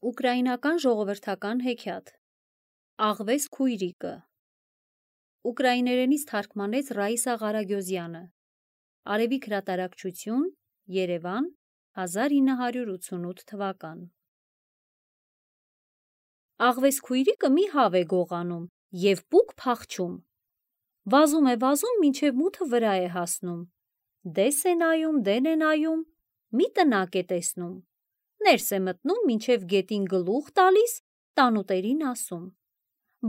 Ուկրաինական ժողովրդական հեքիաթ Աղվես քույրիկը Ուկրաիներենից թարգմանեց Ռաիսա Ղարագյոզյանը Արևիկ հրատարակչություն Երևան 1988 թվական Աղվես քույրիկը մի հավ է գողանում և պուկ փախչում Վազում է մինչև մութը վրա է հասնում Դես է նայում, դեն է նայում մի տնակ է տեսնում Ներս է մտնում մինչև գետին գլուխ տալիս, տանուտերին ասում.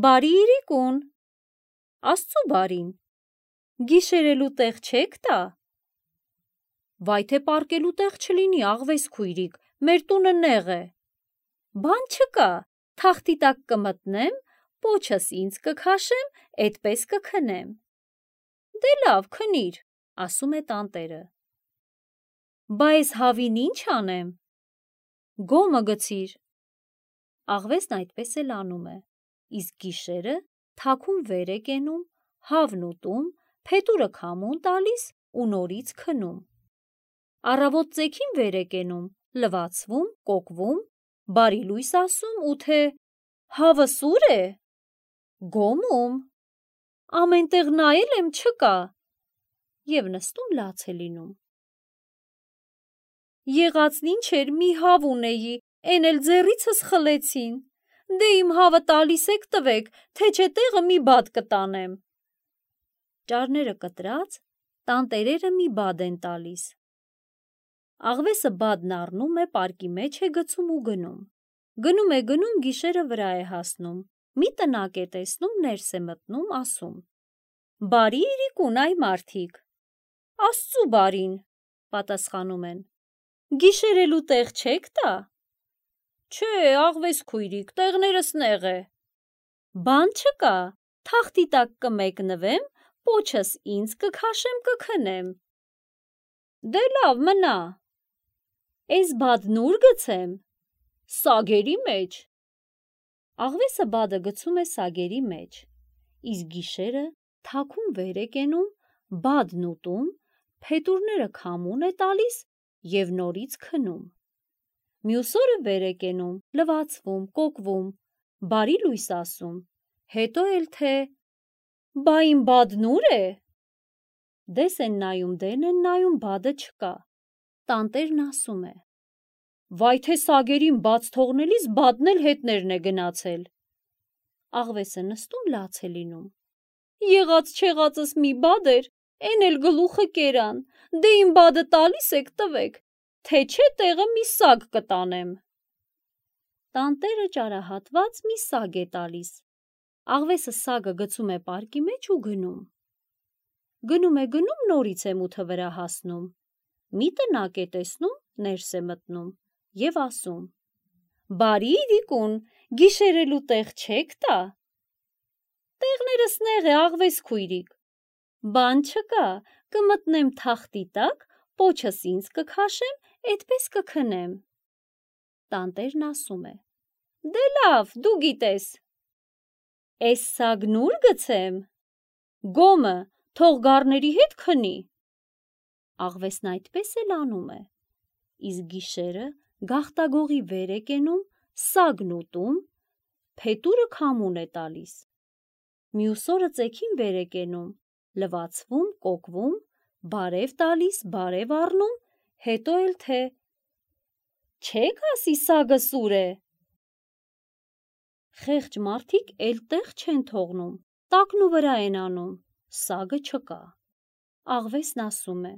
Բարի իրիկուն, Աստծու բարին, գիշերելու տեղ չեք տա: Վայ թե պառկելու տեղ չլինի, աղվես քույրիկ, մեր տունը նեղ է: Բան չկա, թախտի տակ կմտնեմ, պոչս ինձ կքաշեմ, էդպես կքնեմ: Դե լավ, քնիր, ասում է տանտերը: Բա էս հավին ինչ անեմ: Գոմը գցիր: Աղվեսն այդպես էլ անում է, իսկ գիշերը թաքուն վեր է կենում, հավն ուտում, փետուրը քամուն տալիս ու նորից քնում: Առավոտ ծեքին վեր է կենում, լվացվում, կոկվում, բարի լույս ասում ու թե հավը սուր է: Գոմում, ամեն տեղ նայել եմ չկա և նստում լաց է լինում: Եղածն ինչ էր, մի հավ ունեի, էն էլ ձեռիցս խլեցին: Դե իմ հավը տալիս եք տվեք, թե չէ տեղը մի բադ կտանեմ: Ճարները կտրած, տանտերերը մի բադ են տալիս: Աղվեսը բադն առնում է, պարկի մեջ է գցում ու գնում: Գնում գիշերը վրա է հասնում, մի տնակ է տեսնում, ներս է մտնում, ասում. Բարի իրիկուն այ մարդիկ: Աստծու բարին, պատասխանում են: Գիշերելու տեղ չեք տա: Չէ, աղվես քույրիկ, տեղներս նեղ է: Բան չկա, թախտի տակ կմեկնվեմ, պոչս ինձ կքաշեմ, կքնեմ: Դե լավ, մնա: Էս բադն ուր գցեմ: Սագերի մեջ: Աղվեսը բադը գցում է սագերի մեջ, իսկ գիշերը թաքուն վեր է կենում, բադն ուտում, փետուրները քամուն է տալիս և նորից քնում: Մյուս օրը վեր է կենում, լվացվում, կոկվում, բարի լույս ասում, հետո էլ թե բա իմ բադն ուր է: Դես են նայում, դեն են նայում, բադը չկա: Տանտերն ասում է. Վայ թե սագերին բաց թողնելիս բադն էլ հետներն է գնացել: Աղվեսը նստում լաց է լինում: Եղած չեղածս մի բադ էր, էն էլ գլուխը կերան, դե իմ բադը տալիս եք տվեք, թե չէ տեղը մի սագ կտանեմ: Տանտերը ճարահատված մի սագ է տալիս: Աղվեսը սագը գցում է պարկի մեջ ու գնում: Գնում նորից է մութը վրա հասնում, մի տնակ է տեսնում, ներս է մտնում և ասում. Բարի իրիկուն, գիշերելու տեղ չեք տա: Տեղներս նեղ է, աղվես քույրիկ: Բան չկա, կմտնեմ թախտի տակ, պոչս ինձ կքաշեմ, էդպես կքնեմ: Տանտերն ասում է. Դե լավ, դու գիտես: Էս սագն ուր գցեմ: Գոմը, թող գառների հետ քնի: Աղվեսն այդպես էլ անում է, իսկ գիշերը գաղտագողի վեր է կենում, սագն ուտում, փետուրը քամուն է տալիս: Մյուս օրը ծեքին վեր է կենում, լվացվում, կոկվում, բարև տալիս, բարև առնում, հետո էլ թե չեք ասի սագը սուր է: Խեղճ մարդիկ էլ տեղ չեն թողնում, տակնուվրա են անում, սագը չկա: Աղվեսն ասում է.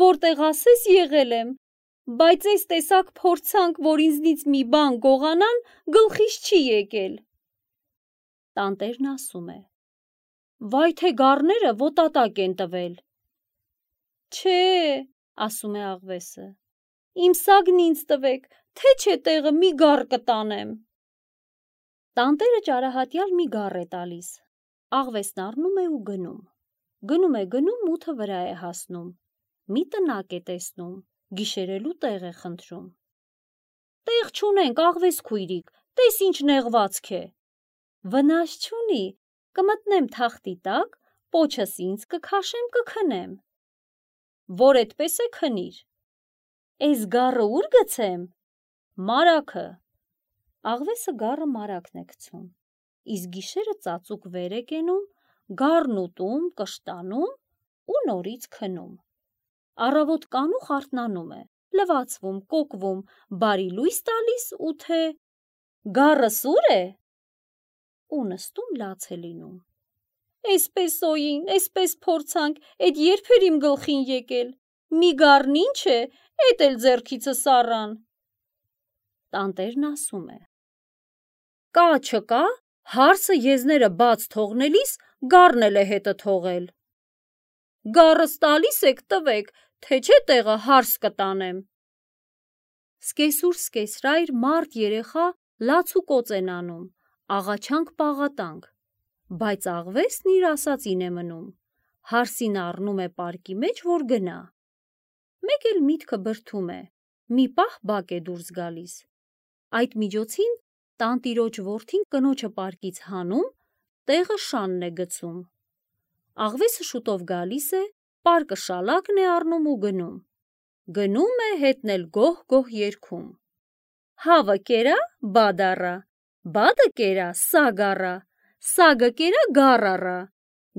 Որտեղ ասես եղել եմ, բայց էս տեսակ փորձանք, որ ինձնից մի բան գողանան, գլխիս չի եկել: Տանտերն ասում է. Վայ թե գառները ոտատակ են տվել: Չէ, ասում է աղվեսը, իմ սագն ինձ տվեք, թե չէ տեղը մի գառ կտանեմ: Տանտերը ճարահատյալ մի գառ է տալիս: Աղվեսն առնում է ու գնում, մութը վրա է հասնում, մի տնակ է տեսնում, գիշերելու տեղ է խնդրում: Տեղ չունենք, աղվես քույրիկ, տես ինչ նեղվածք է: Վնաս չունի, կմտնեմ թախտի տակ, պոչս ինձ կքաշեմ, կքնեմ: Որ էդպես է, քնիր: Էս գառը ուր գցեմ: Մարագը, Աղվեսը գառը մարակն է գցում, իսկ գիշերը ծածուկ վեր է կենում, գառն ուտում, կշտանում ու նորից քնում։ Առավոտ կանուխ արթնանում է, լվացվում, կոկվում, բարի լույս տալիս ու թե գառը սուր է ու նստում լաց է լինում։ Էսպես օին, էսպես փորձանք, էդ երբ էր իմ գլխին եկել, մի գառն ինչ է, էդ էլ ձեռքիցս առան։ Տանտերն ասում է. կա չկա, հարսը եզները բաց թողնելիս գառն էլ է հետը թողել։ Գառս տալիս եք տվեք, թե չէ տեղը հարս կտանեմ։ Սկեսուր սկեսրայր մարդ երեխա լաց ու կոծ են անում, աղաչանք պաղատանք, բայց աղվեսն իր ասածին է մնում, հարսին առնում է պարկի մեջ, որ գնա։ Մեկ էլ միտքը բրդում է, մի պահ բակ է դուրս գալիս։ Այդ միջոցին տանտիրոջ որդին կնոջը պարկից հանում, տեղը շանն է գցում։ Աղվեսը շուտով գալիս է, պարկը շալակն է առնում ու գնում։ Գնում է, հետն էլ գոհ-գոհ երգում։ Հավը կերա, բադ առա, բադը կերա, սագ առա, սագը կերա, գառ առա,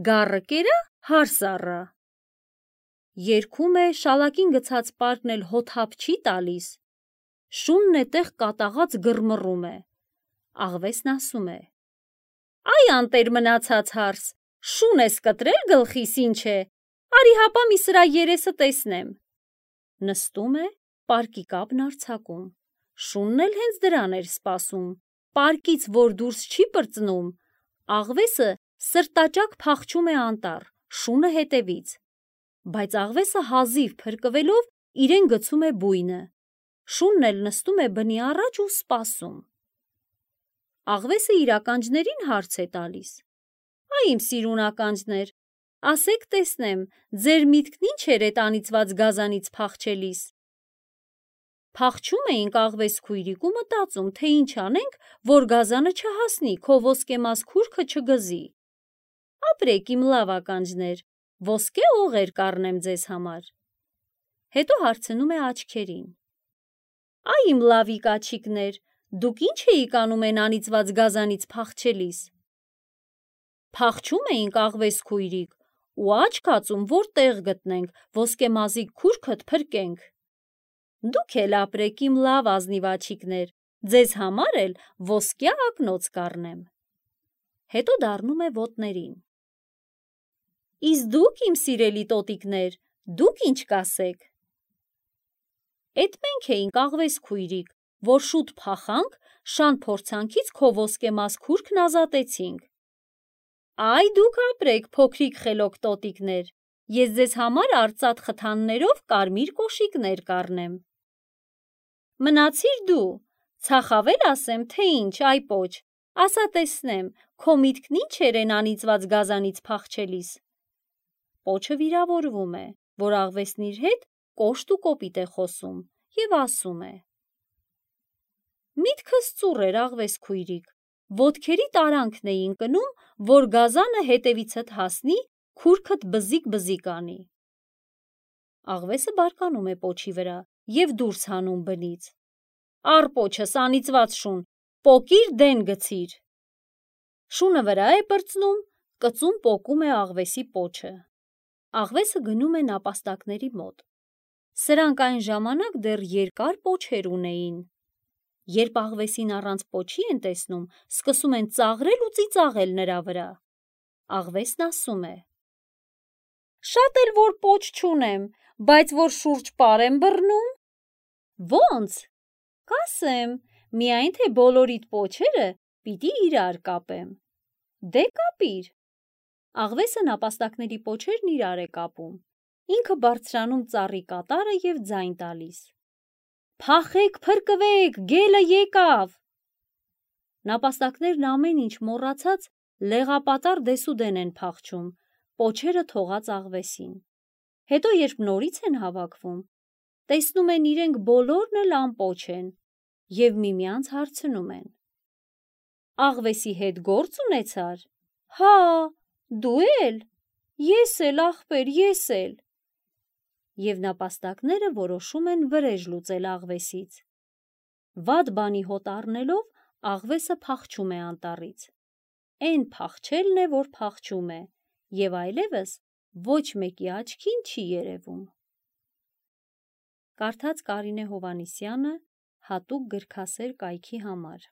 գառը կերա, հարս առա։ Երգում է, շալակին գցած պարկն էլ հոթափ չի տալիս։ Շունն էտեղ կատաղած գրմռում է։ Աղվեսն ասում է. Այ անտեր մնացած հարս, շուն ես կտրել գլխիս ինչ է, արի հապա մի սրա երեսը տեսնեմ։ Նստում է, պարկի կապն արձակում, շունն էլ հենց դրան էր սպասում, պարկից որ դուրս չի պրծնում, աղվեսը սրտաճակ փախչում է անտառ, շունը հետևից, բայց աղվեսը հազիվ փրկվելով իրեն գցում է բույնը, շունն էլ նստում է բնի առաջ ու սպասում։ Աղվեսը իր ականջներին հարց է տալիս. Այ իմ սիրուն ականջներ, ասեք տեսնեմ, ձեր միտքն ինչ էր էդ անիծված գազանից փախչելիս։ Փախչում էինք աղվես քույրիկ ու մտածում, թե ինչ անենք, որ գազանը չհասնի, քո ոսկեմաս քուրքը չգզի։ Ապրեք իմ լավ ականջներ, ոսկե օղեր կառնեմ ձեզ համար։ Հետո հարցնում է աչքերին. Այ իմ լավիկ աջիկներ, դուք ինչ էիք անում են անիծված գազանից փախչելիս։ Փախչում էինք աղվես քույրիկ ու աչք ածում, որ տեղ գտնենք, ոսկեմազիկ քուրքդ փրկենք։ Դուք էլ ապրեք իմ լավ ազնիվ աջիկներ, ձեզ համար էլ ոսկյա ակնոց կառնեմ։ Հետո դառնում է ոտներին։ Իսկ դուք իմ սիրելի տոտիկներ, դուք ինչ կասեք։ Էդ մենք էինք աղվես քույրիկ, որ շուտ փախանք, շան փորձանքից քո ոսկեմաս քուրքն ազատեցինք։ Այ դուք ապրեք, փոքրիկ խելոք տոտիկներ, ես ձեզ համար արծաթ խթաններով կարմիր կոշիկներ կառնեմ։ Մնացիր դու, ցախավել ասեմ, թե ինչ, այ պոչ, ասա տեսնեմ, քո միտքն ինչ էր են անիծված գազանից փախչելիս։ Պոչը վիրավորվում է, որ աղվեսն իր հետ կոշտ ու կոպիտ է խոսում և ասում է. Միտքս ծուռ էր աղվես քույրիկ, ոտքերի տարանքն էի ընկնում, որ գազանը հետևիցդ հասնի, քուրքդ բզիկ-բզիկ անի։ Աղվեսը բարկանում է պոչի վրա և դուրս հանում բնից։ Առ պոչս անիծված շուն, պոկիր դեն գցիր։ Շունը վրա է պրծնում, կծում պոկում է աղվեսի պոչը։ Աղվեսը գնում է նապաստակների մոտ։ Սրանք այն ժամանակ դեռ երկար պոչեր ունեին։ Երբ աղվեսին առանց պոչի են տեսնում, սկսում են ծաղրել ու ծիծաղել նրա վրա։ Աղվեսն ասում է. Շատ էլ որ պոչ չունեմ, բայց որ շուրջ պար եմ բռնում։ Ոնց։ Կասեմ, միայն թե բոլորիդ պոչերը պիտի իրար կապեմ։ Դե կապիր։ Աղվեսը նապաստակների պոչերն իրար է կապում։ Ինքը բարձրանում ծառի կատարը և ձայն տալիս։ Փախեք, փրկվեք, գելը եկավ։ Նապաստակներն ամեն ինչ մոռացած լեղապատառ դեսուդեն են փախչում, պոչերը թողած աղվեսին։ Հետո երբ նորից են հավաքվում, տեսնում են իրենք բոլորն էլ անպոչ են և միմյանց հարցնում են. Աղվեսի հետ գործ ունեցար։ Հա, դու էլ։ Ես էլ, ախպեր, ես էլ։ Եվ նապաստակները որոշում են վրեժ լուծել աղվեսից։ Վատ բանի հոտ առնելով աղվեսը փախչում է անտառից։ Էն փախչելն է, որ փախչում է, և այլևս ոչ մեկի աչքին չի երևում։ Կարդաց Կարինե Հովհաննիսյանը հատուկ գրքասեր կայքի համար։